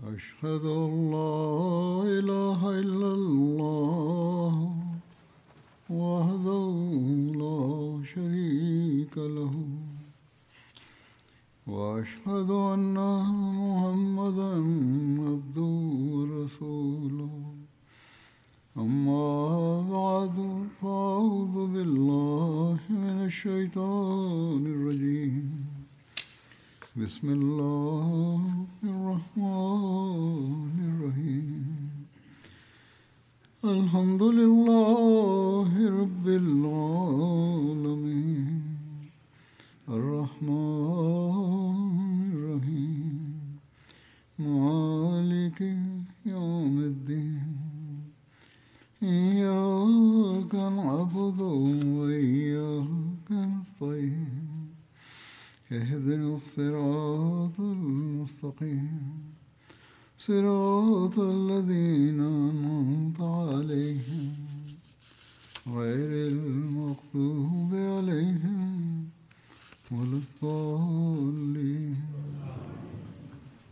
أشهد أن لا إله إلا الله وحده لا شريك له وأشهد أن محمدا عبده ورسوله أما بعد فأعوذ بالله من الشيطان الرجيم بسم الله الرحمن الرحيم الحمد لله رب العالمين الرحمن الرحيم مالك يوم الدين إياك نعبد وإياك نستعين اهدنا الصراط المستقيم صراط الذين أنعمت عليهم غير المغضوب عليهم ولا الضالين.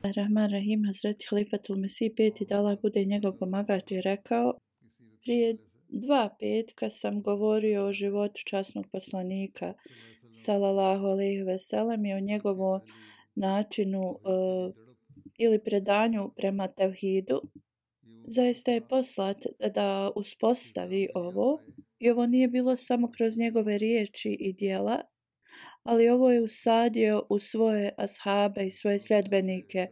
Rahman Rahim, Hazreti Halifatul Mesih peti, da Allah bude njegov pomagač, je rekao: prije 2 petka sam govorio o životu časnog poslanika sallallahu alejhi ve sellem i o njegovom načinu ili predanju prema tevhidu. Zaista je poslat da uspostavi ovo i ovo nije bilo samo kroz njegove riječi i djela, ali ovo je usadio u svoje ashabe i svoje sljedbenike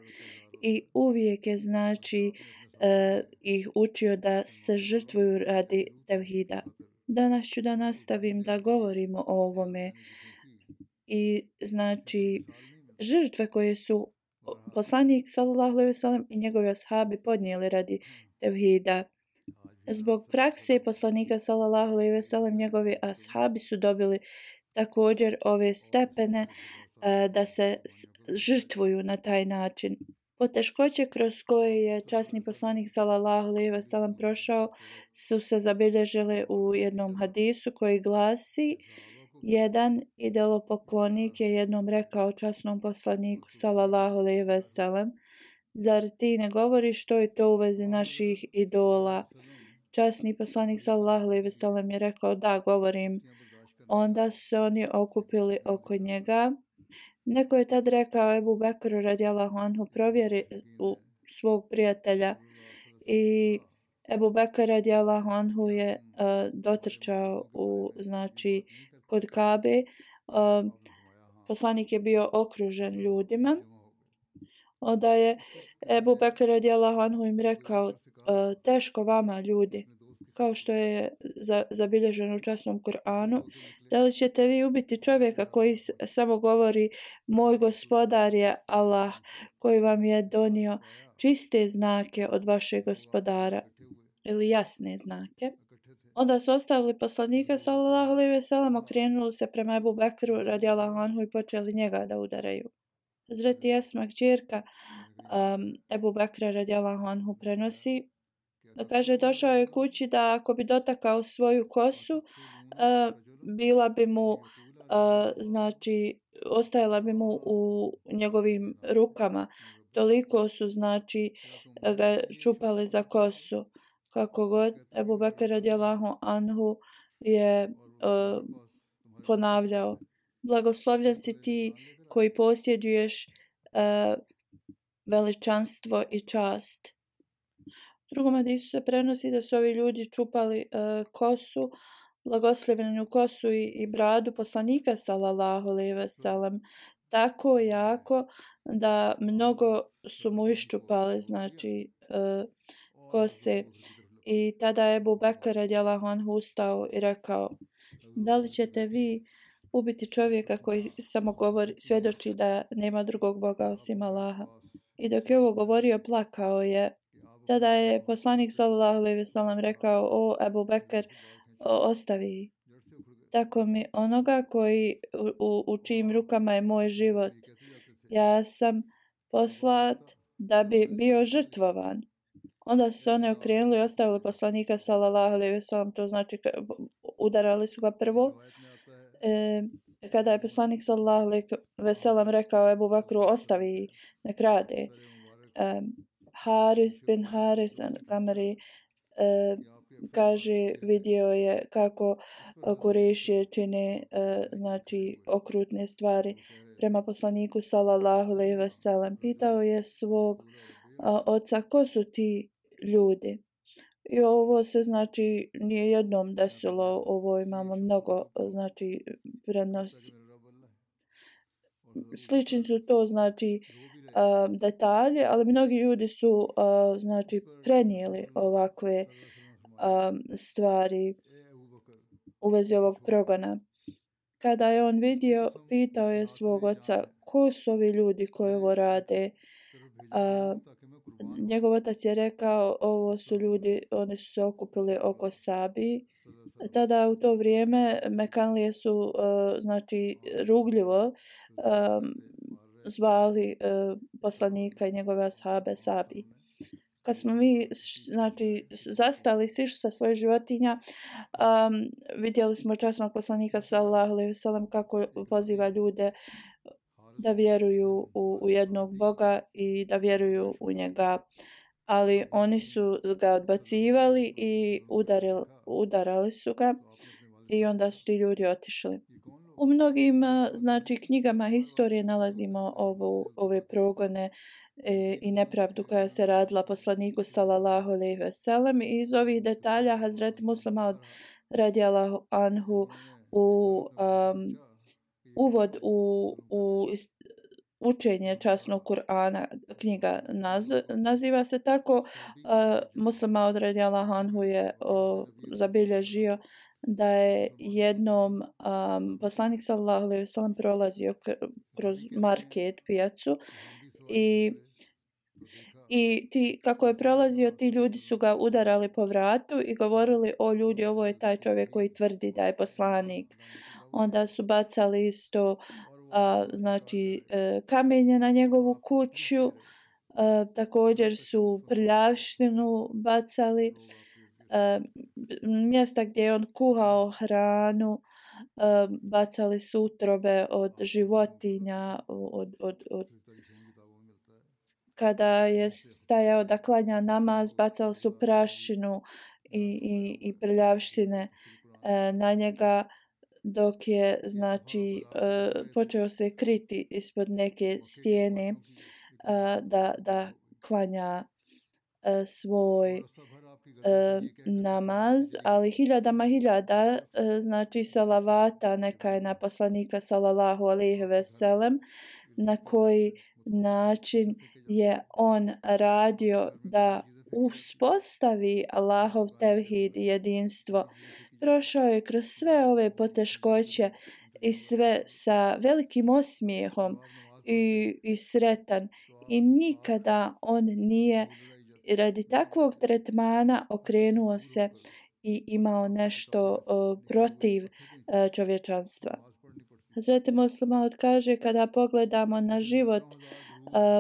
i uvijek je ih učio da se žrtvuju radi tevhida. Danas ću da nastavim da govorimo o ovome i žrtve koje su poslanik sallallahu alejhi ve sellem i njegovi ashabi podnijeli radi tevhida. Zbog prakse poslanika sallallahu alejhi ve sellem njegovi ashabi su dobili također ove stepene da se žrtvuju na taj način. Poteškoće kroz koje je časni poslanik sallallahu alejhi ve sellem prošao su se zabilježile u jednom hadisu koji glasi: jedan idolopoklonik je jednom rekao časnom poslaniku sallallahu alejhi ve sellem: zar ti ne govoriš što je to u vezi naših idola? Časni poslanik sallallahu alejhi ve sellem je rekao: da, govorim. Onda su se oni okupili oko njega. Neko je tad rekao Ebu Bekru radijallahu anhu: provjeri u svog prijatelja. I Ebu Bekr radijallahu anhu je dotrčao kod Kabe. Poslanik je bio okružen ljudima. Onda je Ebu Bekr radijallahu anhu im rekao: teško vama ljudi, kao što je zabilježeno u časnom Kur'anu, da li ćete vi ubiti čovjeka koji samo govori moj gospodar je Allah, koji vam je donio čiste znake od vašeg gospodara, ili jasne znake? Onda su ostavili poslanika sallallahu alejhi ve sellem, okrenuli se prema Ebu Bekru radijallahu anhu i počeli njega da udaraju. Hazreti Esma, kćerka Ebu Bekra radijallahu anhu, prenosi da kaže: došao je kući da ako bi dotakao svoju kosu, bila bi mu ostajala bi mu u njegovim rukama. Toliko su ga čupali za kosu. Kako god, Ebu Bekr radijallahu anhu je ponavljao: blagoslovljen si ti koji posjeduješ veličanstvo i čast. U drugom hadisu se prenosi da su ovi ljudi čupali kosu, blagoslovljenu kosu i bradu poslanika sallallahu alejhi ve sellem tako jako da mnogo su mu iščupali kose. I tada je Ebu Bekr radijallahu anhu ustao i rekao: da li ćete vi ubiti čovjeka koji samo svjedoči da nema drugog Boga osim Allaha? I dok je ovo govorio, plakao je. Tada je poslanik sallallahu alejhi ve sellem rekao: o Ebu Bekr, ostavi. Tako mi onoga u čijim rukama je moj život. Ja sam poslat da bi bio žrtvovan. Onda su se one okrenuli i ostavili poslanika sallallahu alejhi ve sellem, to znači udarali su ga prvo. Kada je poslanik sallallahu alejhi ve sellem rekao Ebu Bekru: ostavi, nek rade. Haris bin Haris al-Gamari kaže vidio je kako Kurešije čine znači okrutne stvari prema poslaniku sallallahu alejhi ve sellem. Pitao je svog oca ko su ti ljudi. I ovo se znači nije jednom desilo, ovo imamo mnogo znači prenosi. Slični su to znači detalje, ali mnogi ljudi su znači prenijeli ovakve stvari u vezi ovog progona. Kada je on vidio, pitao je svog oca ko su ovi ljudi koji ovo rade. Njegov otac je rekao ovo su ljudi, oni su se okupili oko Sabi. Tada u to vrijeme Mekanlije su znači rugljivo zvali poslanika i njegove ashabe Sabi. Kad smo mi znači zastali sišli sa svojih životinja, vidjeli smo časnog poslanika sallallahu alejhi ve sellem kako poziva ljude da vjeruju u jednog Boga i da vjeruju u njega, ali oni su ga odbacivali i udarali su ga i onda su ti ljudi otišli. U mnogim znači knjigama historije nalazimo ove progone i nepravdu koja se radila poslaniku sallallahu alejhi ve sellem. I iz ovih detalja Hazret Muslim Maud radijallahu anhu u uvod u učenje časnog Kur'ana, knjiga naziva se tako. Muslim Maud radijallahu anhu je zabilježio da je jednom poslanik sallallahu alejhi ve sellem prolazio kroz market, pijacu i kako je prolazio, ti ljudi su ga udarali po vratu i govorili: o ljudi, ovo je taj čovjek koji tvrdi da je poslanik. Onda su bacali isto znači kamenje na njegovu kuću, također su prljavštinu bacali, mjesta gdje je on kuhao hranu, bacali su utrobe od životinja, kada je stajao da klanja namaz, bacali su prašinu i prljavštine na njega, dok je znači počeo se kriti ispod neke stijene da klanja svoj namaz, ali hiljadama hiljada znači salavata neka je na poslanika sallallahu alejhi ve sellem, na koji način je on radio da uspostavi Allahov tevhid i jedinstvo. Prošao je kroz sve ove poteškoće i sve sa velikim osmijehom i sretan, i nikada on nije radi takvog tretmana okrenuo se i imao nešto protiv čovječanstva. Hazret Muslim Maud kaže: kada pogledamo na život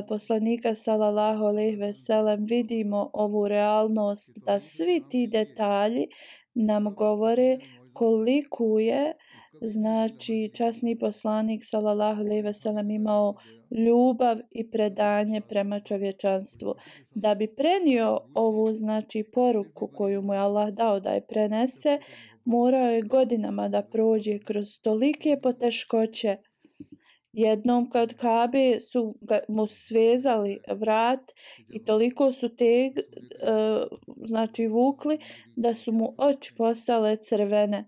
poslanika sallallahu alejhi ve sellem, vidimo ovu realnost da svi ti detalji nam govore koliko je znači časni poslanik sallallahu alejhi ve sellem imao ljubav i predanje prema čovječanstvu. Da bi prenio ovu znači poruku koju mu je Allah dao da je prenese, morao je godinama da prođe kroz tolike poteškoće. Jednom kod Kabe su mu svezali vrat i toliko su znači vukli da su mu oči postale crvene.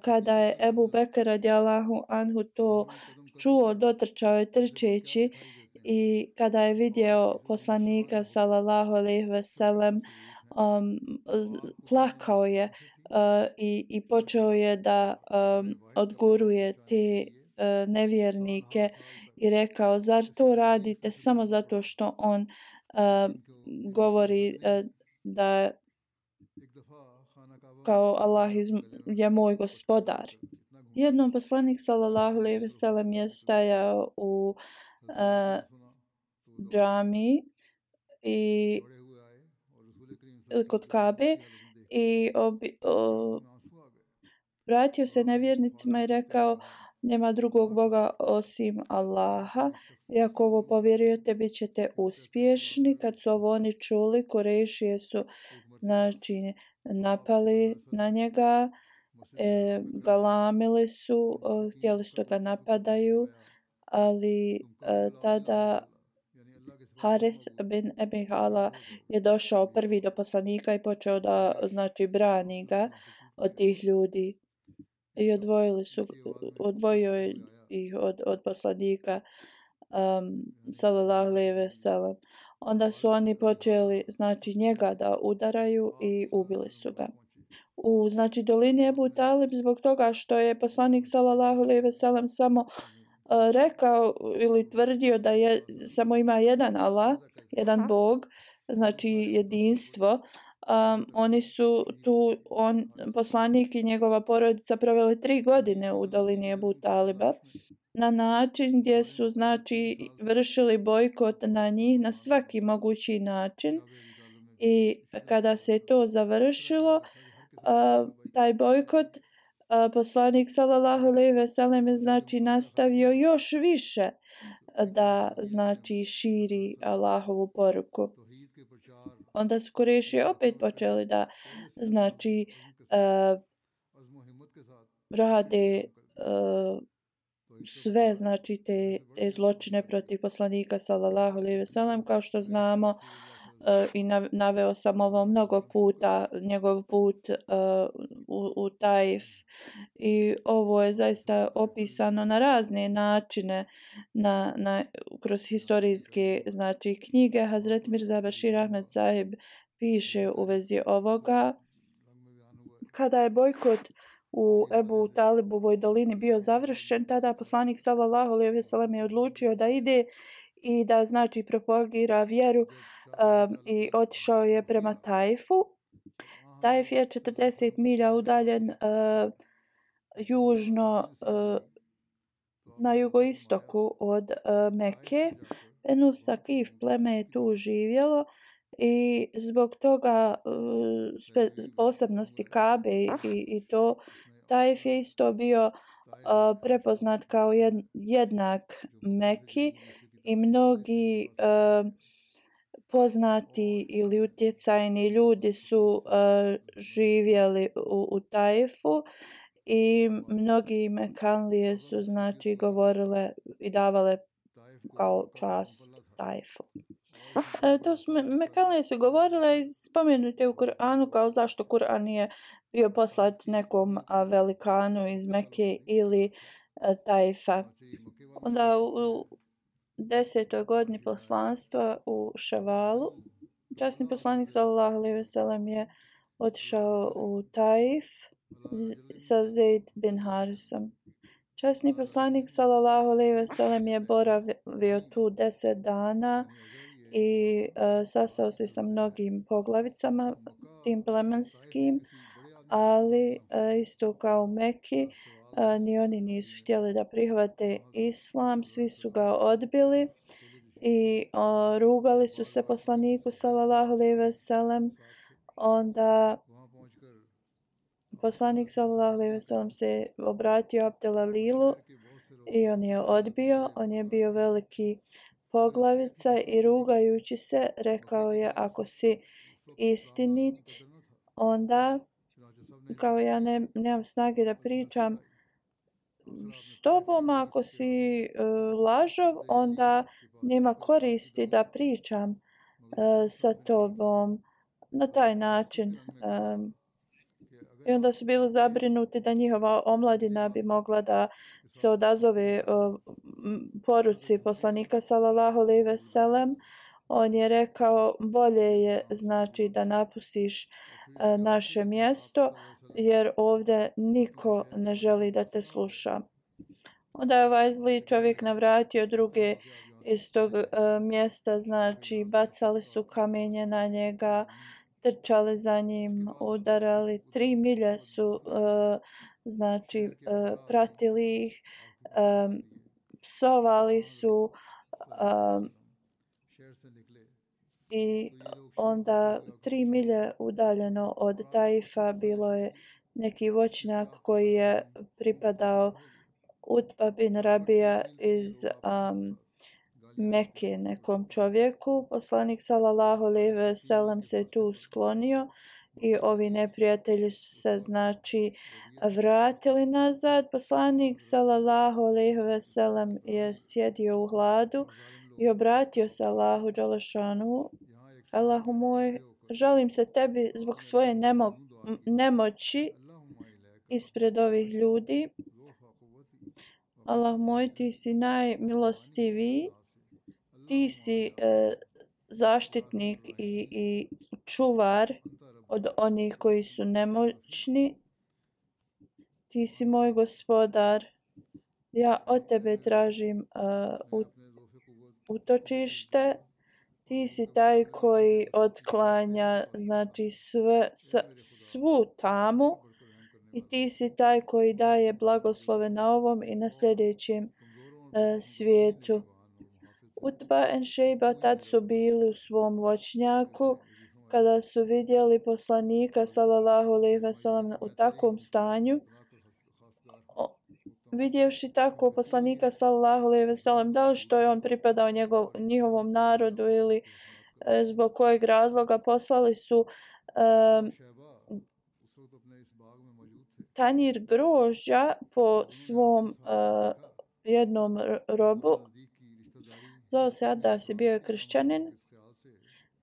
Kada je Ebu Bekr radijallahu anhu to čuo, dotrčao je trčeći, i kada je vidio poslanika sallallahu alejhi ve sellem, plakao je i počeo je da odguruje te nevjernike i rekao: zar to radite samo zato što on govori da kao Allah je moj gospodar. Jednom poslanik sallallahu alejhi ve sellem je stajao u džamii i kod Kabe i vratio se nevjernicima i rekao: nema drugog Boga osim Allaha. I ako ovo povjerujete, bit ćete uspješni. Kad su ovo oni čuli, Kurejšije su znači napali na njega, galamili su, htjeli su ga napadaju, ali tada Harith bin Abi Hala je došao prvi do poslanika i počeo da znači brani ga od tih ljudi i odvojio je ih od poslanika sallallahu alejhi ve sellem. Onda su oni počeli znači njega da udaraju i ubili su ga. U znači dolini Ebu Talib zbog toga što je poslanik sallallahu alejhi ve sellem samo rekao ili tvrdio da je samo ima jedan Allah, jedan Bog, znači jedinstvo. Oni su tu, poslanik i njegova porodica proveli 3 godine u dolini Ebu Taliba na način gdje su znači vršili bojkot na njih na svaki mogući način. I kada se to završilo, taj bojkot, poslanik sallallahu alejhi ve sellem je znači nastavio još više da znači širi Allahovu poruku. Onda su Kurejši opet počeli da znači rade sve znači te zločine protiv poslanika sallallahu alejhi ve sellem, kao što znamo. I naveo sam ovo mnogo puta, njegov put u Taif, i ovo je zaista opisano na razne načine kroz historijske znači knjige. Hazret Mirza Bashir Ahmed Sahib piše u vezi ovoga: kada je bojkot u Ebu Talibovoj dolini bio završen, tada poslanik sallallahu alejhi ve sellem je odlučio da ide i da znači propagira vjeru, i otišao je prema Taifu. Taif je 40 milja udaljen južno na jugoistoku od Mekke. Benu Sakif pleme je tu živjelo i zbog toga posebnosti Kabe i to Taif je isto bio prepoznat kao jednak Mekki i mnogi poznati ili utjecajni ljudi su živjeli u Taifu i mnogi Mekanlije su znači govorile i davale kao čast Taifu. To su Mekanlije su govorile i spomenute u Kur'anu kao zašto Kur'an nije bio poslat nekom velikanu iz Mekke ili Taifa. Onda u 10. godini poslanstva u Ševalu, časni poslanik sallallahu alejhi ve sellem je otišao u Taif sa Zeid bin Harisom. Časni poslanik sallallahu alejhi ve sellem je boravio tu 10 dana i sastao se sa mnogim poglavicama tim plemenskim, ali isto kao u Mekki, ni oni nisu htjeli da prihvate islam, svi su ga odbili i rugali su se poslaniku sallallahu alejhi ve sellem. Onda poslanik sallallahu alejhi ve sellem se obratio Abdelalilu i on je odbio. On je bio veliki poglavica i rugajući se rekao je: ako si istinit, onda kao ja nemam snage da pričam s tobom, ako si lažov, onda nema koristi da pričam sa tobom na taj način. I onda su bili zabrinuti da njihova omladina bi mogla da se odazove poruci poslanika sallallahu alejhi ve sellem. On je rekao: bolje je znači da napustiš naše mjesto, jer ovdje niko ne želi da te sluša. Onda je ovaj zli čovjek navratio druge iz tog mjesta, znači bacali su kamenje na njega, trčali za njim, udarali. 3 milje su znači pratili ih, psovali su, i onda 3 milje udaljeno od Taifa bilo je neki voćnjak koji je pripadao Utba bin Rabija iz Mekke nekom čovjeku. Poslanik sallallahu alejhi ve sellem se tu sklonio i ovi neprijatelji su se znači vratili nazad. Poslanik sallallahu alejhi ve sellem je sjedio u hladu i obratio se Allahu dželešanu: Allahu moj, žalim se tebi zbog svoje nemoći ispred ovih ljudi. Allah moj, ti si najmilostiviji, ti si zaštitnik i čuvar od onih koji su nemoćni. Ti si moj gospodar. Ja od tebe tražim utočište. Ti si taj koji otklanja znači svu tamu i ti si taj koji daje blagoslove na ovom i na sljedećem svijetu. Utba i Šejba tad su bili u svom voćnjaku kada su vidjeli poslanika sallallahu alejhi ve sellem u takvom stanju. Vidjevši tako poslanika sallallahu alejhi ve sellem, da li što je on pripadao njihovom narodu ili zbog kojeg razloga, poslali su tanjir grožđa po svom jednom robu. Zvao se Adas i bio je kršćanin.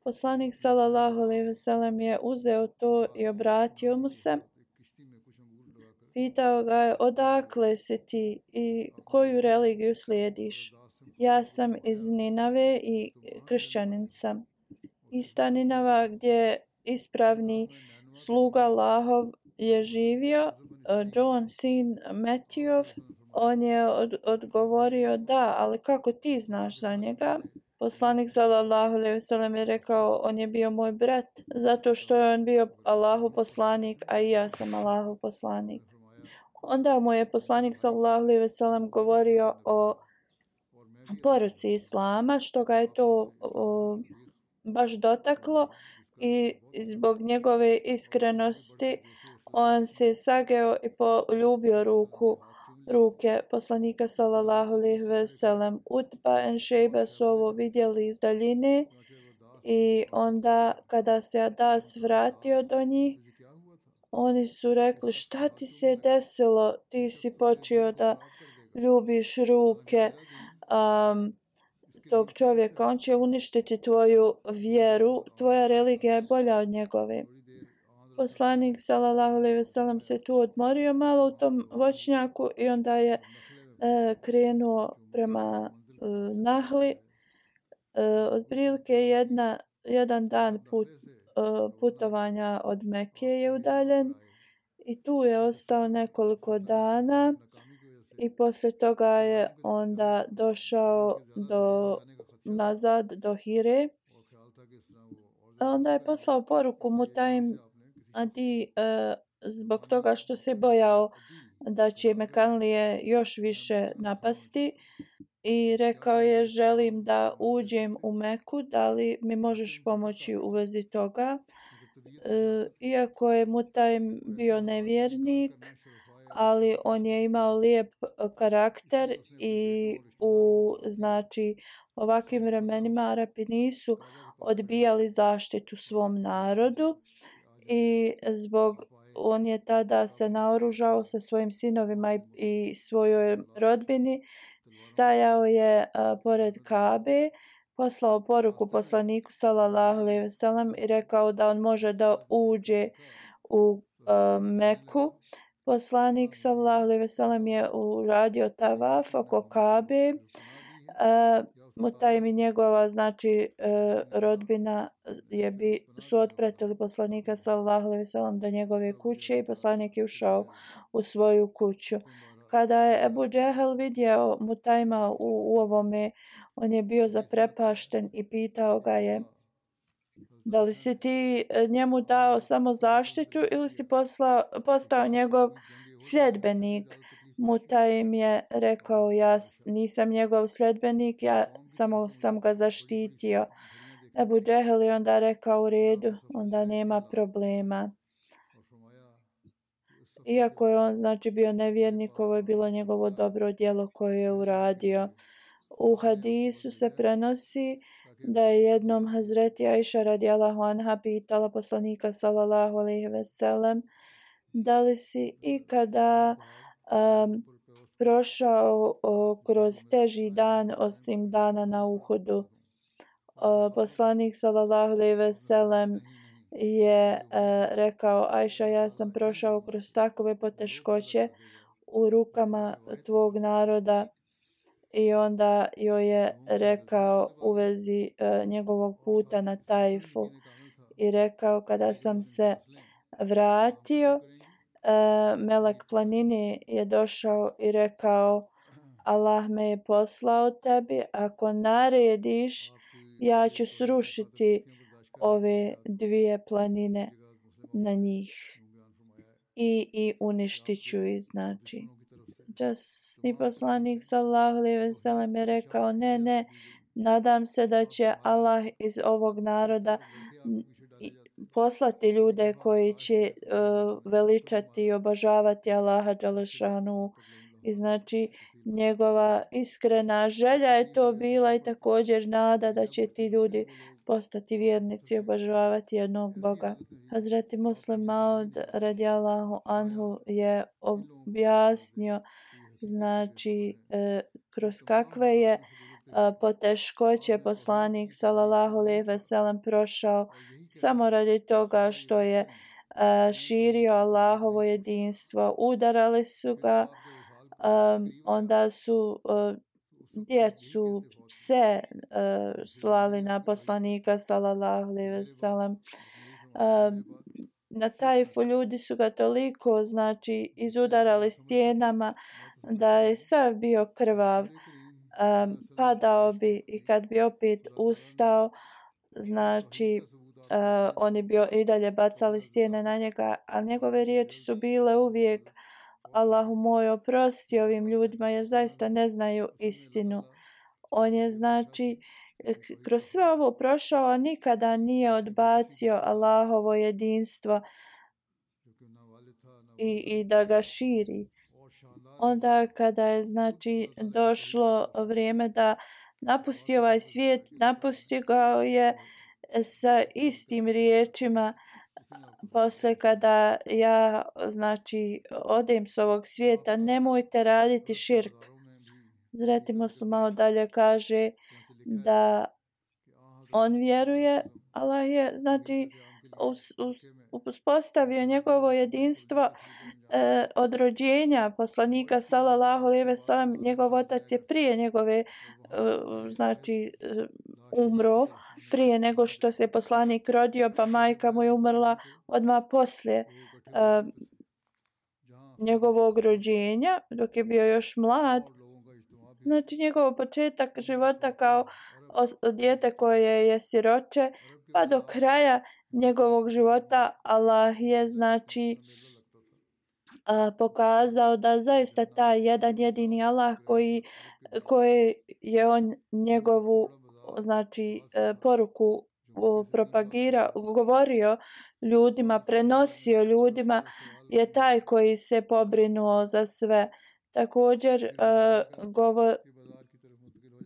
Poslanik sallallahu alejhi ve sellem je uzeo to i obratio mu se. Pitao ga je: odakle si ti i koju religiju slijediš? Ja sam iz Ninave i kršćanin sam. Ista Ninava gdje ispravni sluga Allahov je živio, John sin Matthewov. On je odgovorio: da, ali kako ti znaš za njega? Poslanik sallallahu alejhi ve sellem je rekao: on je bio moj brat, zato što je on bio Allahov poslanik, a i ja sam Allahov poslanik. Onda mu je poslanik sallallahu alejhi ve sellem govorio o poruci Islama, što ga je to baš dotaklo i zbog njegove iskrenosti on se sageo i poljubio ruke poslanika sallallahu alejhi ve sellem. Utba i Šejba su ovo vidjeli iz daljine i onda kada se Adas vratio do njih, oni su rekli: šta ti se desilo? Ti si počeo da ljubiš ruke tog čovjeka. On će uništiti tvoju vjeru. Tvoja religija je bolja od njegove. Poslanik sallallahu alejhi ve sellem se tu odmorio malo u tom voćnjaku i onda je krenuo prema Nahli. Otprilike jedan dan putovanja od Mekke je udaljen i tu je ostao nekoliko dana i poslije toga je onda došao nazad do Hire. Onda je poslao poruku Mutaim Adi zbog toga što se bojao da će Mekanlije još više napasti i rekao je: želim da uđem u Meku, da li mi možeš pomoći u vezi toga? Iako je Mutaim bio nevjernik, ali on je imao lijep karakter i u znači ovakvim vremenima Arapi nisu odbijali zaštitu svom narodu i on je tada se naoružao sa svojim sinovima i svojoj rodbini, stajao je pored Kabe, poslao poruku poslaniku sallallahu alejhi ve sellem i rekao da on može da uđe u Meku. Poslanik sallallahu alejhi ve sellem je uradio tavaf oko Kabe. Mutaim i njegova znači rodbina su otpratili poslanika sallallahu alejhi ve sellem do njegove kuće i poslanik je ušao u svoju kuću. Kada je Ebu Džehel vidio Mutaima u ovome, on je bio zaprepašten i pitao ga je: da li si ti njemu dao samo zaštitu ili si postao njegov sljedbenik? Mutaim je rekao: ja nisam njegov sljedbenik, ja samo sam ga zaštitio. Ebu Džehel je onda rekao: u redu, onda nema problema. Iako je on znači bio nevjernik, ovo je bilo njegovo dobro djelo koje je uradio. U hadisu se prenosi da je jednom Hazreti Aisha radijallahu anha pitala poslanika sallallahu alejhi ve sellem da li si ikada prošao kroz teži dan osim dana na Uhudu. Poslanik sallallahu alejhi ve sellem je rekao: Ajša, ja sam prošao kroz takove poteškoće u rukama tvog naroda. I onda joj je rekao u vezi njegovog puta na Tajfu i rekao: kada sam se vratio, melek planine je došao i rekao: Allah me je poslao tebi, ako narediš ja ću srušiti ove dvije planine na njih i uništit ću ih. Znači, časni poslanik sallallahu alejhi ve sellem je rekao: ne, nadam se da će Allah iz ovog naroda poslati ljude koji će veličati i obožavati Allaha dželešanu. I znači njegova iskrena želja je to bila i također nada da će ti ljudi postati vjernici i obožavati jednog Boga. Hazreti Muslim Maud radijallahu anhu je objasnio znači kroz kakve je poteškoće poslanik sallallahu alejhi ve sellem prošao samo radi toga što je širio Allahovo jedinstvo. Udarali su ga, onda su djecu, pse slali na poslanika sallallahu alejhi ve sellem. Na Tajfu ljudi su ga toliko znači izudarali stijenama da je sav bio krvav. Padao bi i kad bi opet ustao, znači oni bi i dalje bacali stijene na njega, a njegove riječi su bile uvijek: Allahu moj, oprosti ovim ljudima jer zaista ne znaju istinu. On je znači kroz sve ovo prošao, a nikada nije odbacio Allahovo jedinstvo i da ga širi. Onda kada je znači došlo vrijeme da napusti ovaj svijet, napusti ga je sa istim riječima: posle kada ja znači odem s ovog svijeta, nemojte raditi širk. Hazreti Muslim dalje kaže da on vjeruje, Allah je znači uspostavio njegovo jedinstvo od rođenja poslanika sallallahu alejhi ve sellem. Njegov otac je prije njegove znači umro, prije nego što se poslanik rodio, pa majka mu je umrla odmah poslije njegovog rođenja dok je bio još mlad. Znači njegov početak života kao dijete koje je siroče pa do kraja njegovog života Allah je znači pokazao da zaista taj jedan jedini Allah koji je on njegovu znači poruku govorio ljudima, prenosio ljudima, je taj koji se pobrinuo za sve. Također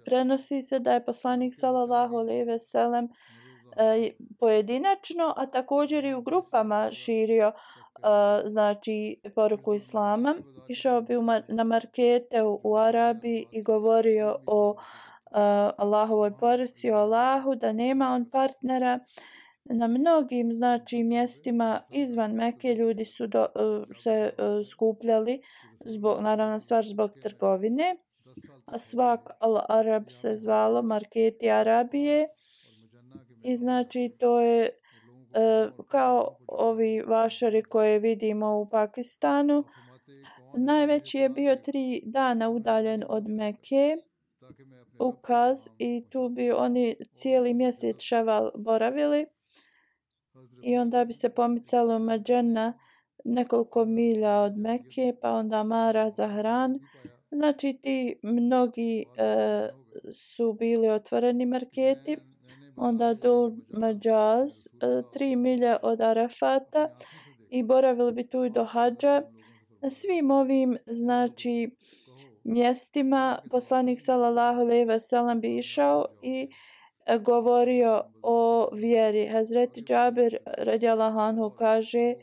prenosi se da je poslanik sallallahu alejhi ve sellem pojedinačno, a također i u grupama širio znači poruku islama. Išao bi na markete u Arabiji i govorio o Allahovoj poruci, o Allahu, da nema on partnera. Na mnogim znači mjestima izvan Mekke ljudi su se skupljali zbog, naravno stvar zbog trgovine, a svak Al-Arab se zvalo marketi Arabije. I znači to je kao ovi vašari koje vidimo u Pakistanu. Najveći je bio 3 dana udaljen od Mekke, u Kaz, i tu bi oni cijeli mjesec Ševal boravili i onda bi se pomicalo u Medžena nekoliko milja od Mekke, pa onda Mara, Zahran. Znači ti mnogi su bili otvoreni marketi. Onda Dul Mađaz 3 milje od Arafata i boravili bi tu i do hadža. Na svim ovim znači mjestima poslanik sallallahu alejhi ve sellem bi išao i govorio o vjeri. Hazreti Džabir radijallahu anhu kaže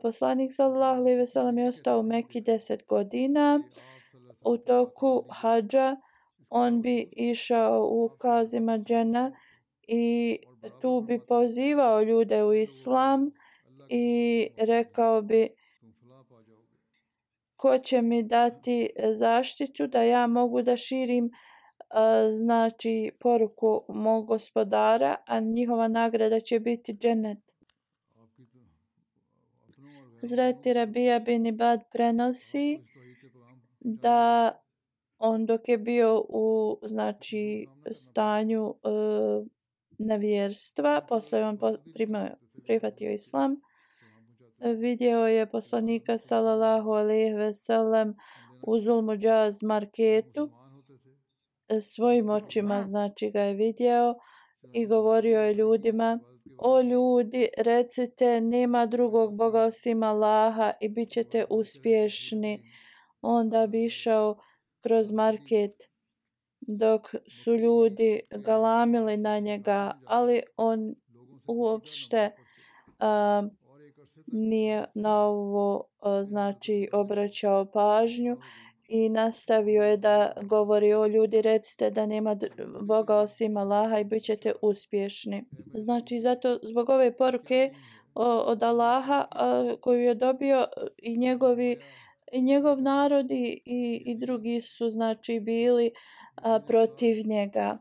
poslanik sallallahu alejhi ve sellem je ostao u Mekki 10 godina. U toku hadža on bi išao u Kazima džena i tu bi pozivao ljude u islam i rekao bi ko će mi dati zaštitu da ja mogu da širim znači poruku mog gospodara, a njihova nagrada će biti džennet. Hazreti Rabija bin Ibad prenosi da on dok je bio u znači stanju nevjerstva, posle on prihvatio islam, vidio je poslanika sallallahu alejhi ve sellem u Zulmuđaz marketu, svojim očima znači ga je vidio i govorio je ljudima: o ljudi, recite nema drugog Boga osim Allaha i bit ćete uspješni. Onda bi išao kroz market dok su ljudi galamili na njega, ali on uopšte nije na ovo znači obraćao pažnju i nastavio je da govori: o ljudi, recite da nema Boga osim Allaha i bit ćete uspješni. Znači zato zbog ove poruke od Allaha koju je dobio i njegov narod i drugi su znači bili protiv njega.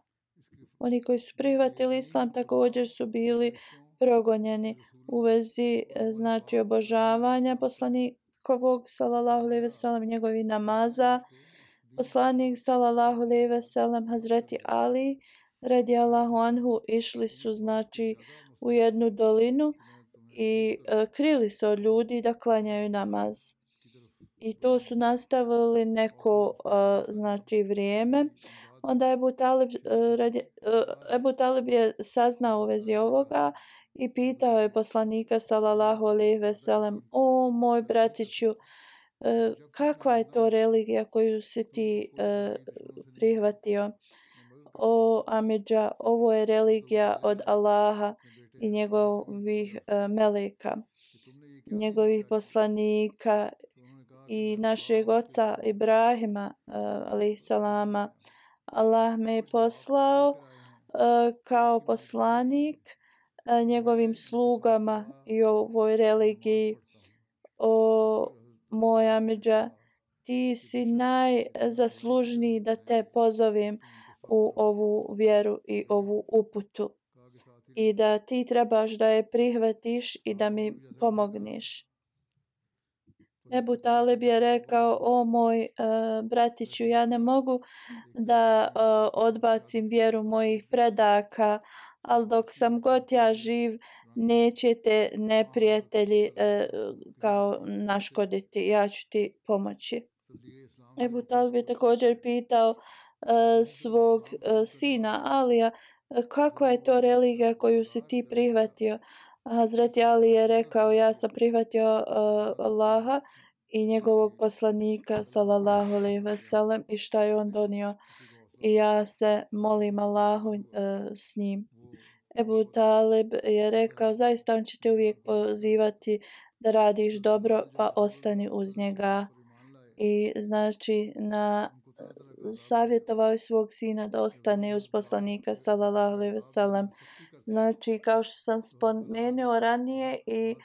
Oni koji su prihvatili islam također su bili progonjeni u vezi znači obožavanja poslanikovog sallallahu alejhi ve sellem, njegovih namaza. Poslanik sallallahu alejhi ve sellem, Hazreti Ali radijallahu anhu išli su znači u jednu dolinu i krili se od ljudi da klanjaju namaz. I to su nastavili neko znači vrijeme. Onda Ebu Talib je saznao u vezi ovoga i pitao je poslanika sallallahu alejhi ve sellem: o moj bratiću, kakva je to religija koju si ti prihvatio? O amidža, ovo je religija od Allaha i njegovih meleka, njegovih poslanika i našeg oca Ibrahima alejhiselama. Allah me je poslao kao poslanik njegovim slugama i ovoj religiji. O moj amidža, ti si najzaslužniji da te pozovem u ovu vjeru i ovu uputu i da ti trebaš da je prihvatiš i da mi pomogneš. Ebu Talib je rekao: o moj bratiću, ja ne mogu da odbacim vjeru mojih predaka, ali dok sam god ja živ nećete neprijatelji kao naškoditi, ja ću ti pomoći. Ebu Talib je također pitao svog sina Alija: kakva je to religija koju si ti prihvatio? Hazreti Ali je rekao: ja sam prihvatio Allaha i njegovog poslanika sallallahu alejhi ve sellem i šta je on donio i ja se molim Allahu s njim. Ebu Talib je rekao: zaista on će te uvijek pozivati da radiš dobro, pa ostani uz njega. I znači savjetovao je svog sina da ostane uz poslanika sallallahu alejhi ve sellem. Znači, kao što sam spomenuo ranije, i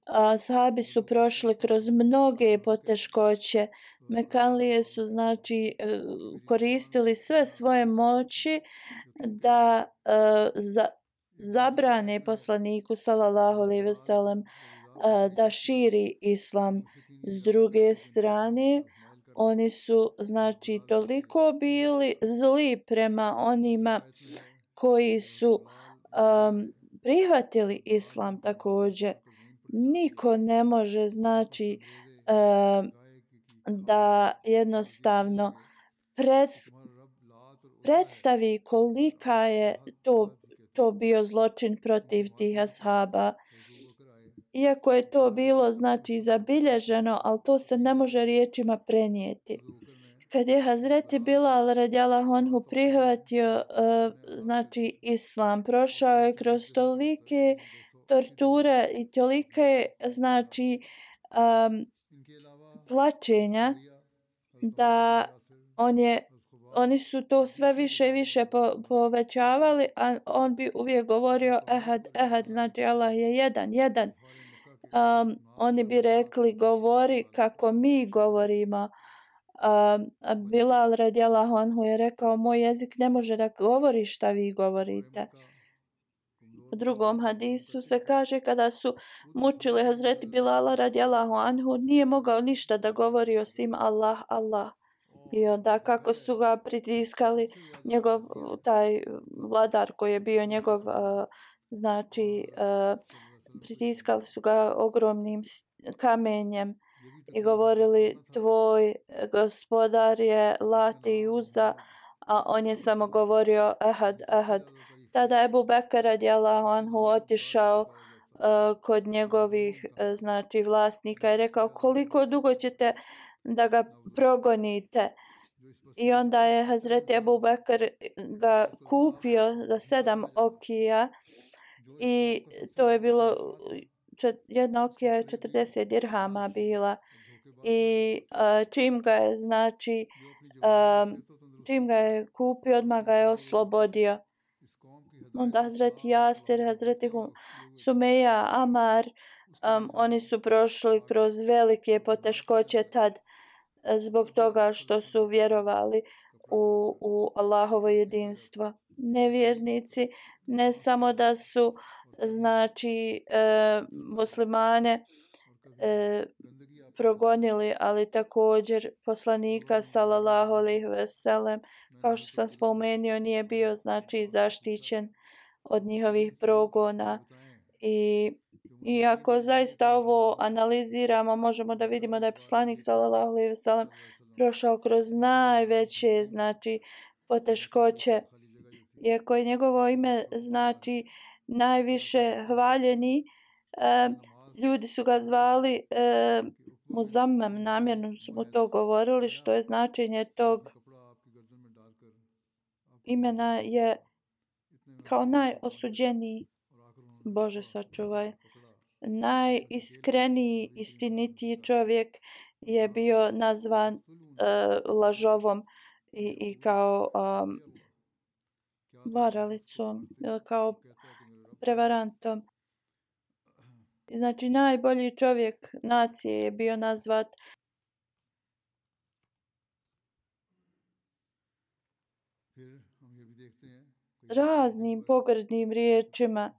ashabi su prošli kroz mnoge poteškoće. Mekanlije su znači koristili sve svoje moći da zabrane poslaniku sallallahu alejhi ve sellem da širi islam. S druge strane, oni su znači toliko bili zli prema onima koji su prihvatili islam također. Niko ne može znači da jednostavno predstavi kolika je to bio zločin protiv tih ashaba. iako je to bilo znači zabilježeno, ali to se ne može riječima prenijeti. Kad je Hazreti Bilal radijallahu anhu prihvatio znači islam, prošao je kroz tolike torture i tolike znači tlačenja da oni su to sve više i više povećavali, a on bi uvijek govorio ehad, znači Allah je jedan. Oni bi rekli govori kako mi govorimo. Bilal radijallahu anhu je rekao moj jezik ne može da govori šta vi govorite. U drugom hadisu se kaže kada su mučili Hazreti Bilala radijallahu anhu nije mogao ništa da govori osim Allah. I onda kako su ga pritiskali njegov taj vladar koji je bio njegov pritiskali su ga ogromnim kamenjem i govorili tvoj gospodar je Lat i Uza, a on je samo govorio ehad. Tada je Ebu Bekr radijallahu anhu otišao kod njegovih znači vlasnika i rekao koliko dugo ćete da ga progonite. I onda je Hazreti Ebu Bekr ga kupio za 7 okija i to je bilo jedna okija je 40 dirhama bila i čim ga je kupio odmah ga je oslobodio. Onda Hazreti Jasir, Hazreti Sumeja, Amar, oni su prošli kroz velike poteškoće tad zbog toga što su vjerovali u Allahovo jedinstvo. Nevjernici ne samo da su znači muslimane progonili, ali također poslanika sallallahu alejhi ve sellem, kao što sam spomenuo, nije bio znači zaštićen od njihovih progona. I ako zaista ovo analiziramo, možemo da vidimo da je poslanik sallallahu alejhi ve sellem prošao kroz najveće znači poteškoće. Iako je njegovo ime znači najviše hvaljeni, ljudi su ga zvali Muzammem, namjerno su mu to govorili, što je značenje tog imena je kao najosuđeniji, Bože sačuvaj, najiskreniji, istinitiji čovjek je bio nazvan lažovom i kao varalicom, kao prevarantom. Znači najbolji čovjek nacije je bio nazvat raznim pogrdnim riječima.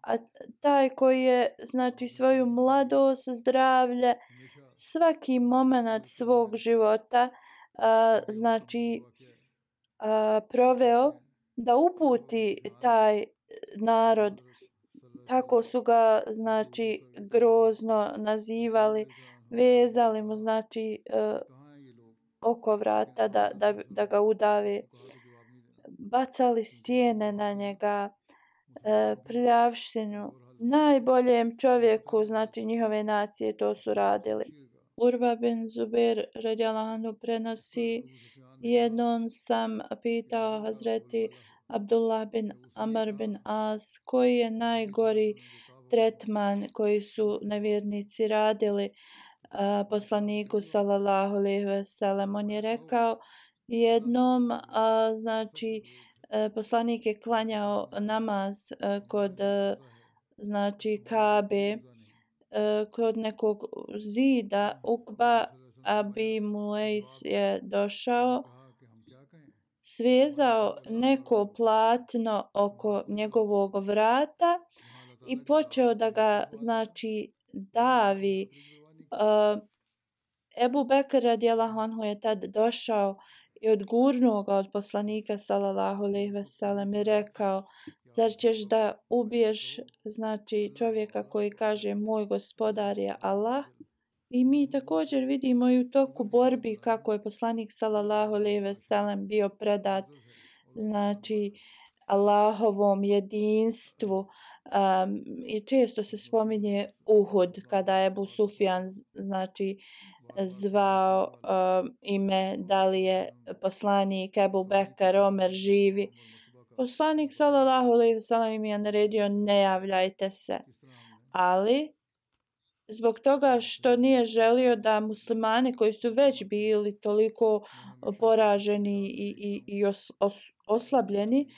A taj koji je znači svoju mladost, zdravlje, svaki moment svog života znači proveo da uputi taj narod, tako su ga znači grozno nazivali, vezali mu znači oko vrata da ga udave, bacali stijene na njega, prljavštinu. Najboljem čovjeku znači njihove nacije to su radili. Urva bin Zubair radijallahu anhu prenosi, jednom sam pitao Hazreti Abdullah bin Amr bin As koji je najgori tretman koji su nevjernici radili poslaniku sallallahu alejhi ve sellem. On je rekao jednom znači poslanik je klanjao namaz kod znači Kabe, kod nekog zida. Ukba Abi Mulejs je došao, svezao neko platno oko njegovog vrata i počeo da ga znači davi. Ebu Bekr radijallahu anhu je tad došao i odgurnuo ga od poslanika sallallahu alejhi ve sellem i rekao, zar ćeš da ubiješ znači čovjeka koji kaže moj gospodar je Allah? I mi također vidimo i u toku borbi kako je poslanik sallallahu alejhi ve sellem bio predat znači Allahovom jedinstvu. I često se spominje Uhud kada je Ebu Sufjan znači zvao ime da li je poslanik Ebu Bekar Omer živi. Poslanik sallallahu alejhi ve sellem im je naredio ne javljajte se, ali zbog toga što nije želio da muslimani koji su već bili toliko poraženi i oslabljeni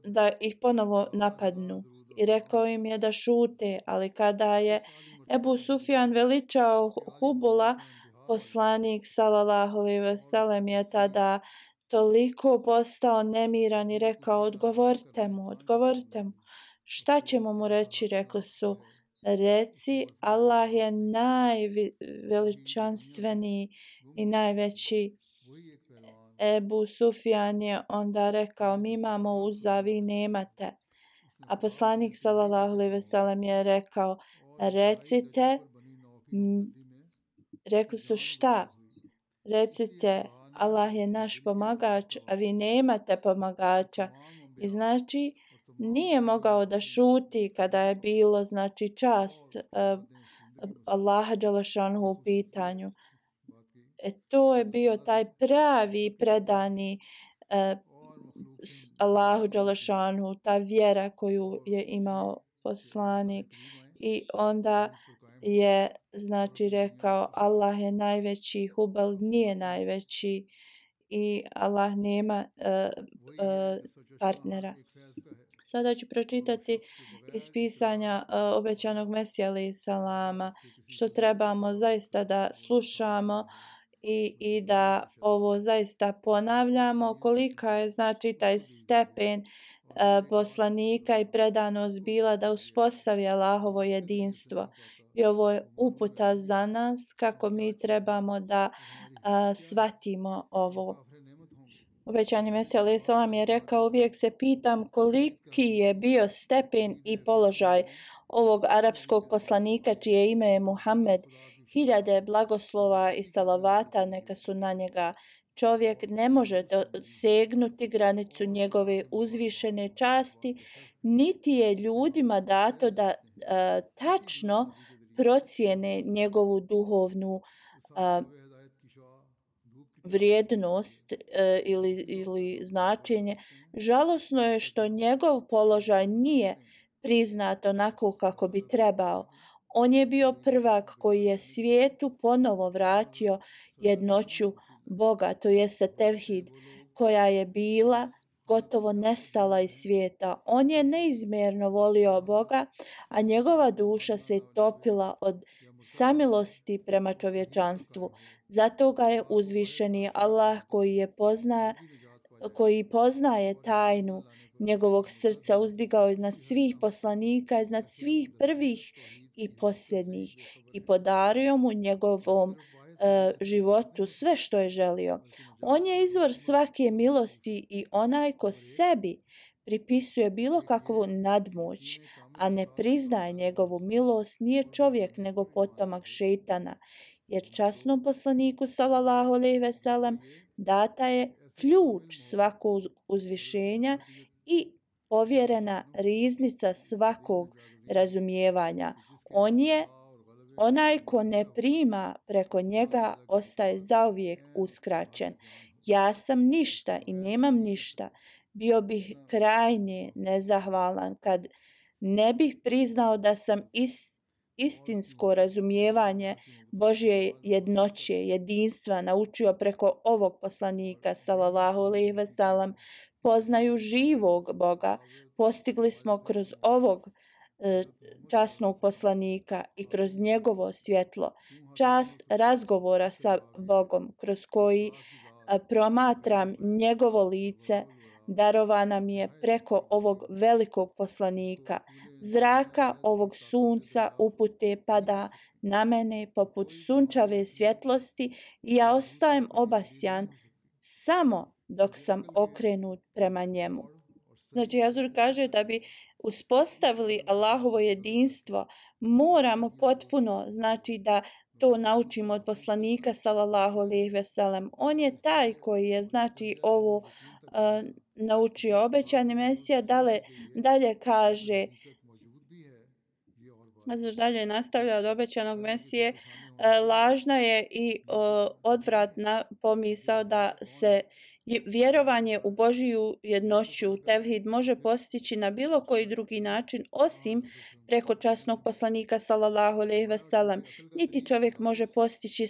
da ih ponovo napadnu. I rekao im je da šute, ali kada je Ebu Sufjan veličao Hubula, poslanik sallallahu alejhi ve sellem je tada toliko postao nemiran i rekao odgovorite mu. Šta ćemo mu reći? Rekli su reci Allah je najveličanstveniji i najveći. Ebu Sufjan je onda rekao mi imamo Uza, vi nemate. A poslanik sallallahu alejhi ve sellem je rekao recite. Rekli su šta? Recite Allah je naš pomagač, a vi nemate pomagača. I znači nije mogao da šuti kada je bilo znači čast Allaha dželešanuhu u pitanju. To je bio taj pravi predani Allahu dželešanuhu, ta vjera koju je imao poslanik. I onda je znači rekao Allah je najveći, Hubal nije najveći i Allah nema partnera. Sada ću pročitati iz pisanja obećanog Mesija alejhi salama što trebamo zaista da slušamo i da ovo zaista ponavljamo, kolika je znači taj stepen poslanika i predanost bila da uspostavi Allahovo jedinstvo. I ovo je uputa za nas kako mi trebamo da shvatimo ovo. Obećani Mesija alejhi selam je rekao uvijek se pitam koliki je bio stepen i položaj ovog arapskog poslanika čije ime je Muhammed. 1000 blagoslova i salavata neka su na njega. Čovjek ne može dosegnuti granicu njegove uzvišene časti, niti je ljudima dato da tačno procijene njegovu duhovnu vrijednost ili značenje. Žalosno je što njegov položaj nije priznat onako kako bi trebao. On je bio prvak koji je svijetu ponovo vratio jednoću Boga, to jeste tevhid, koja je bila gotovo nestala iz svijeta. On je neizmjerno volio Boga, a njegova duša se topila od samilosti prema čovječanstvu. Zato ga je uzvišeni Allah koji poznaje tajnu njegovog srca uzdigao iznad svih poslanika, iznad svih prvih i posljednjih i podario mu njegovom životu sve što je želio. On je izvor svake milosti i onaj ko sebi pripisuje bilo kakvu nadmoć, a ne priznaje njegovu milost, nije čovjek nego potomak šejtana. Jer časnom poslaniku sallallahu alejhi ve sellem data je ključ svakog uzvišenja i povjerena riznica svakog razumijevanja. On je onaj ko ne prima preko njega ostaje zauvijek uskraćen. Ja sam ništa i nemam ništa. Bio bih krajnje nezahvalan kad ne bih priznao da sam istinsko razumijevanje Božje jednoće, jedinstva naučio preko ovog poslanika sallallahu alejhi ve sellem. Poznaju živog Boga postigli smo kroz ovog časnog poslanika i kroz njegovo svjetlo. Čast razgovora sa Bogom kroz koji promatram njegovo lice darovana mi je preko ovog velikog poslanika. Zraka ovog sunca upute pada na mene poput sunčave svjetlosti i ja ostajem obasjan samo dok sam okrenut prema njemu. Znači, Jazur kaže da bi uspostavili Allahovo jedinstvo, moramo potpuno, znači da to naučimo od poslanika sallallahu alejhi ve sellem. On je taj koji je, znači, ovo naučio. Obećani Mesija dalje kaže, dalje nastavlja od obećanog Mesije, lažna je i odvratna pomisao da se vjerovanje u Božiju jednoću, tevhid, može postići na bilo koji drugi način osim preko časnog poslanika sallallahu alejhi ve sellem. Niti čovjek može postići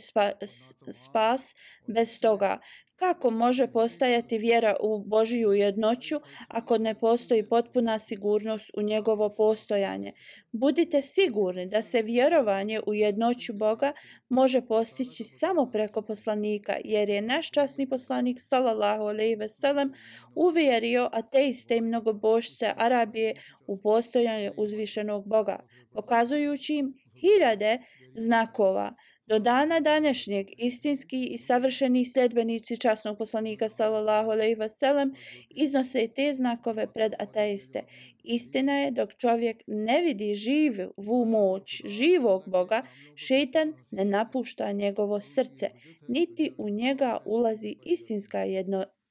spas bez toga. Kako može postajati vjera u Božiju jednoću ako ne postoji potpuna sigurnost u njegovo postojanje? Budite sigurni da se vjerovanje u jednoću Boga može postići samo preko poslanika, jer je naš časni poslanik sallallahu alejhi ve sellem uvjerio ateiste i mnogobožce Arabije u postojanje uzvišenog Boga, pokazujući im hiljade znakova. Do dana današnjeg istinski i savršeni sljedbenici časnog poslanika sallallahu alejhi ve sellem iznose te znakove pred ateiste. Istina je, dok čovjek ne vidi živu moć živog Boga, šejtan ne napušta njegovo srce, niti u njega ulazi istinska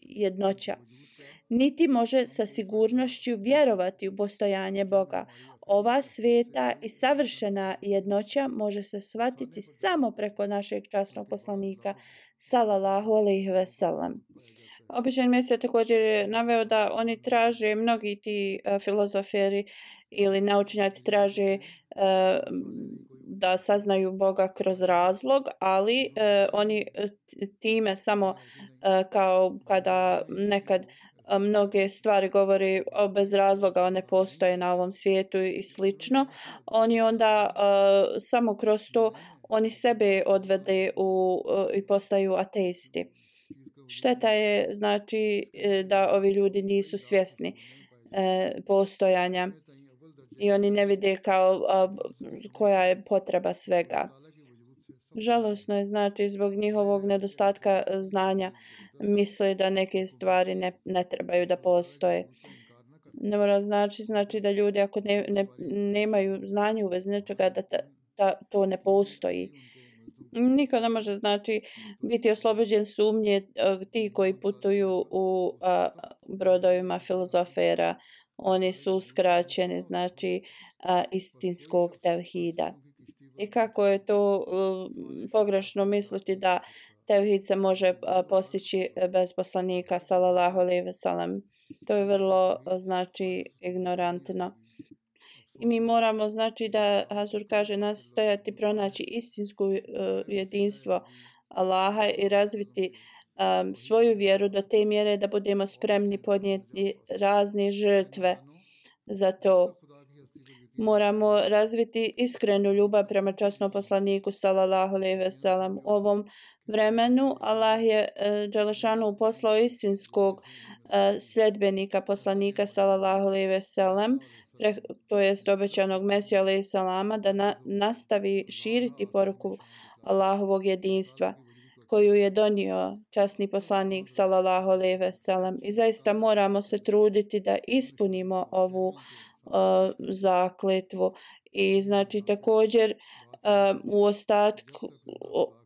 jednoća, niti može sa sigurnošću vjerovati u postojanje Boga. Ova sveta i savršena jednoća može se shvatiti samo preko našeg časnog poslanika sallallahu alejhi ve sellem. Obećani Mesija također je naveo da oni traže, mnogi ti filozoferi ili naučnjaci traže da saznaju Boga kroz razlog, ali oni time samo kao kada nekad mnoge stvari govori bez razloga, one postoje na ovom svijetu i slično. Oni onda samo kroz to oni sebe odvede i postaju ateisti. Šteta je znači da ovi ljudi nisu svjesni postojanja i oni ne vide kao koja je potreba svega. Žalosno je znači zbog njihovog nedostatka znanja misle da neke stvari ne trebaju da postoje. Ne mora znači da ljudi ako nemaju znanja u vezi nečega da to ne postoji. Niko ne može znači biti oslobođen sumnje ti koji putuju u brodovima filozofera. Oni su uskraćeni znači istinskog tevhida. I kako je to pogrešno misliti da tevhid se može postići bez poslanika sallallahu alejhi ve sellem. To je vrlo znači ignorantno. I mi moramo znači da Hazur kaže nastojati pronaći istinsko jedinstvo Allaha i razviti svoju vjeru do te mjere da budemo spremni podnijeti razne žrtve za to. Moramo razviti iskrenu ljubav prema časnom poslaniku sallallahu alejhi ve sellem. U ovom vremenu Allah je dželešanu poslao istinskog sljedbenika poslanika sallallahu alejhi ve sellem, to jest obećanog Mesija alejhi selama, da nastavi širiti poruku Allahovog jedinstva koju je donio časni poslanik sallallahu alejhi ve sellem. I zaista moramo se truditi da ispunimo ovu zakletvu i znači također u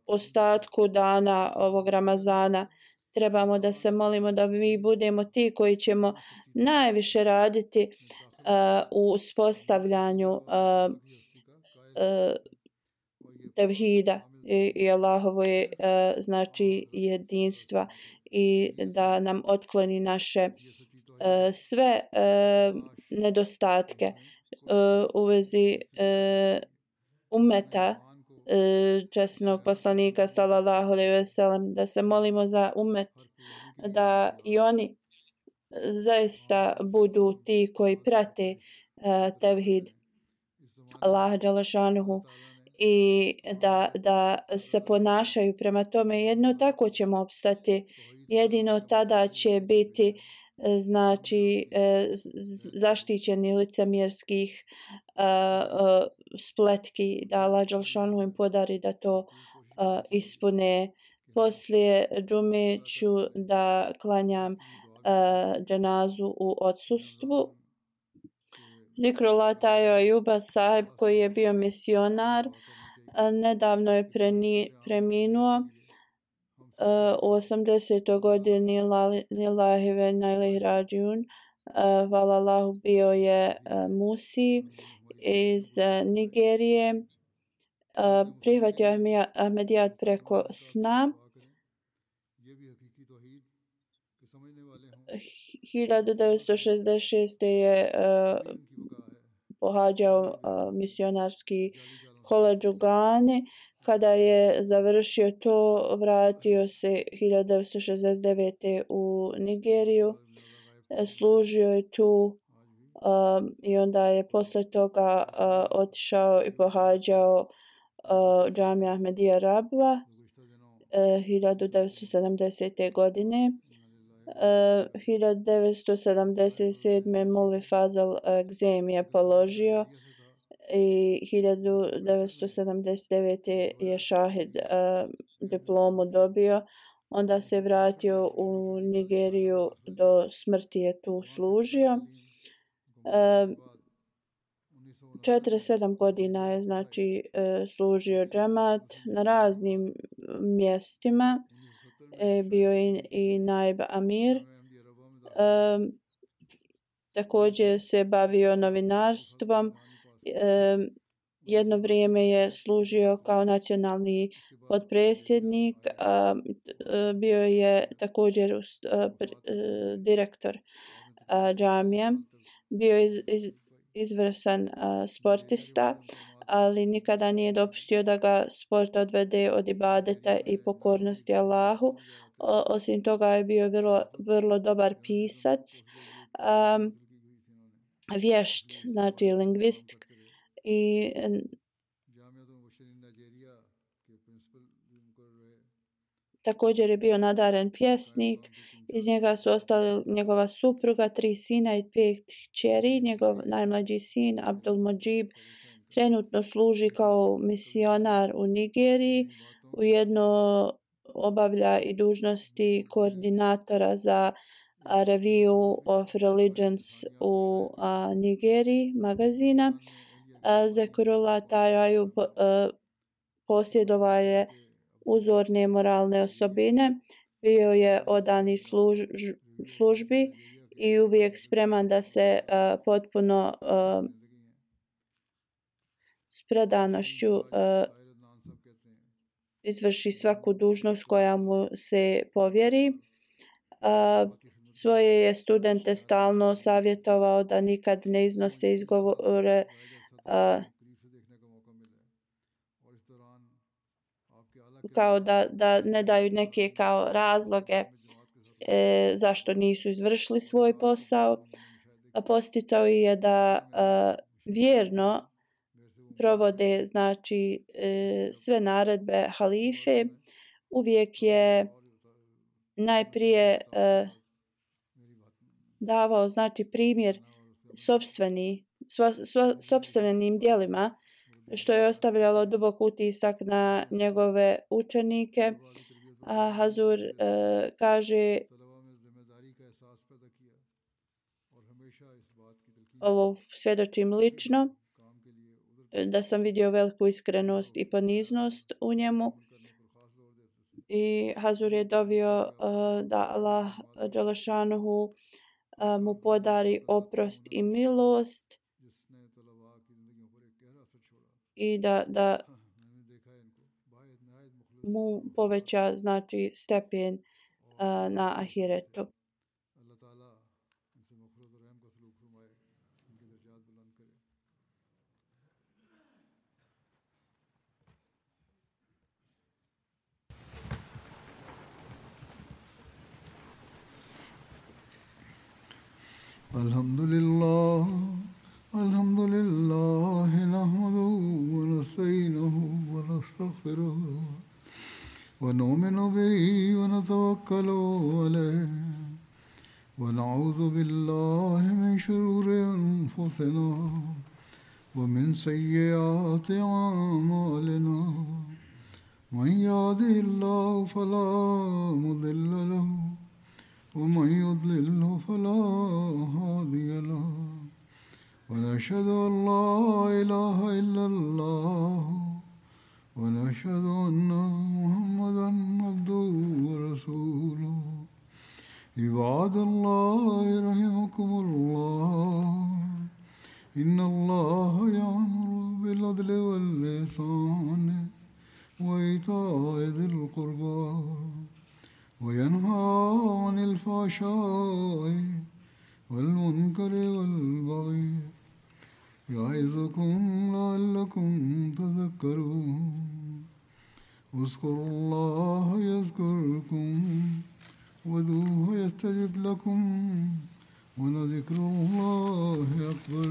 ostatku dana ovog Ramazana trebamo da se molimo da mi budemo ti koji ćemo najviše raditi u uspostavljanju tevhida i Allahove znači jedinstva i da nam otkloni naše sve nedostatke u vezi ummeta časnog poslanika sallallahu alejhi ve sellem, da se molimo za ummet da i oni zaista budu ti koji prate tevhid Allaha dželešanuhu i da se ponašaju prema tome. Jedno tako ćemo opstati, jedino tada će biti znači zaštićeni licemjerskih spletki, da Allah dželešanu im podari da to ispune. Poslije džume ću da klanjam dženazu u odsustvu. Zikrullah Tajo Ajuba sahib koji je bio misionar nedavno je preminuo. u 80. godini lillahi ve inna ilaihi rađiun. Hvala Allahu, bio je Musi iz Nigerije. Prihvatio Ahmedijat preko sna. 1966. je pohađao misionarski koledž u Gani. Kada je završio to, vratio se 1969. u Nigeriju. Služio je tu i onda je posle toga otišao i pohađao džamija Ahmedija Rabva 1970. godine. 1977. Mulvi Fazal egzem je položio i 1979. je šahid diplomu dobio. Onda se vratio u Nigeriju, do smrti je tu služio. 47 godina je znači služio džemat na raznim mjestima. Bio je i naib amir. Također se bavio novinarstvom. Jedno vrijeme je služio kao nacionalni potpredsjednik. Bio je također direktor džamije. Bio je izvrstan sportista, ali nikada nije dopustio da ga sport odvede od ibadeta i pokornosti Allahu. Osim toga je bio vrlo dobar pisac, vješt, znači lingvist, i također je bio nadaren pjesnik. Iz njega su ostali njegova supruga, 3 sina i 5 kćeri. Njegov najmlađi sin Abdul Mojib trenutno služi kao misionar u Nigeriji. Ujedno obavlja i dužnosti koordinatora za Review of Religions u Nigeriji magazina. Zekrullah Tajaju posjedovao je uzorne moralne osobine. Bio je odani službi i uvijek spreman da se potpuno s predanošću izvrši svaku dužnost koja mu se povjeri. Svoje je studente stalno savjetovao da nikad ne iznose izgovore kao da ne daju neke kao razloge zašto nisu izvršili svoj posao. Posticao je da vjerno provode znači sve naredbe halife. Uvijek je najprije davao znači primjer sopstvenim djelima, što je ostavljalo dubok utisak na njegove učenike. Hazur kaže, ovo svjedočim lično, da sam vidio veliku iskrenost i poniznost u njemu. I Hazur je dovio da Allah dželešanuhu mu podari oprost i milost i da mu poveća znači stepen na ahiretu. Alhamdulillah, alhamdulillah, nahmaduhu wa nasta'inuhu wa nastaghfiruh wa nu'minu bihi wa natawakkalu alayhi wa na'udhu billahi min shururi anfusina wa min sayyiati a'malina. Man yahdihillahu fala mudilla lahu ومن يضلل فلا هادي له ونشهد أن لا إله إلا الله ونشهد أن محمدا عبده ورسوله عباد الله رحمكم الله إن الله يأمر بالعدل والإحسان وإيتاء ذي القربى وينهى عن الفحشاء والمنكر والبغي يعظكم لعلكم تذكرون اذكروا الله يذكركم وادعوه يستجب لكم ولذكر الله أكبر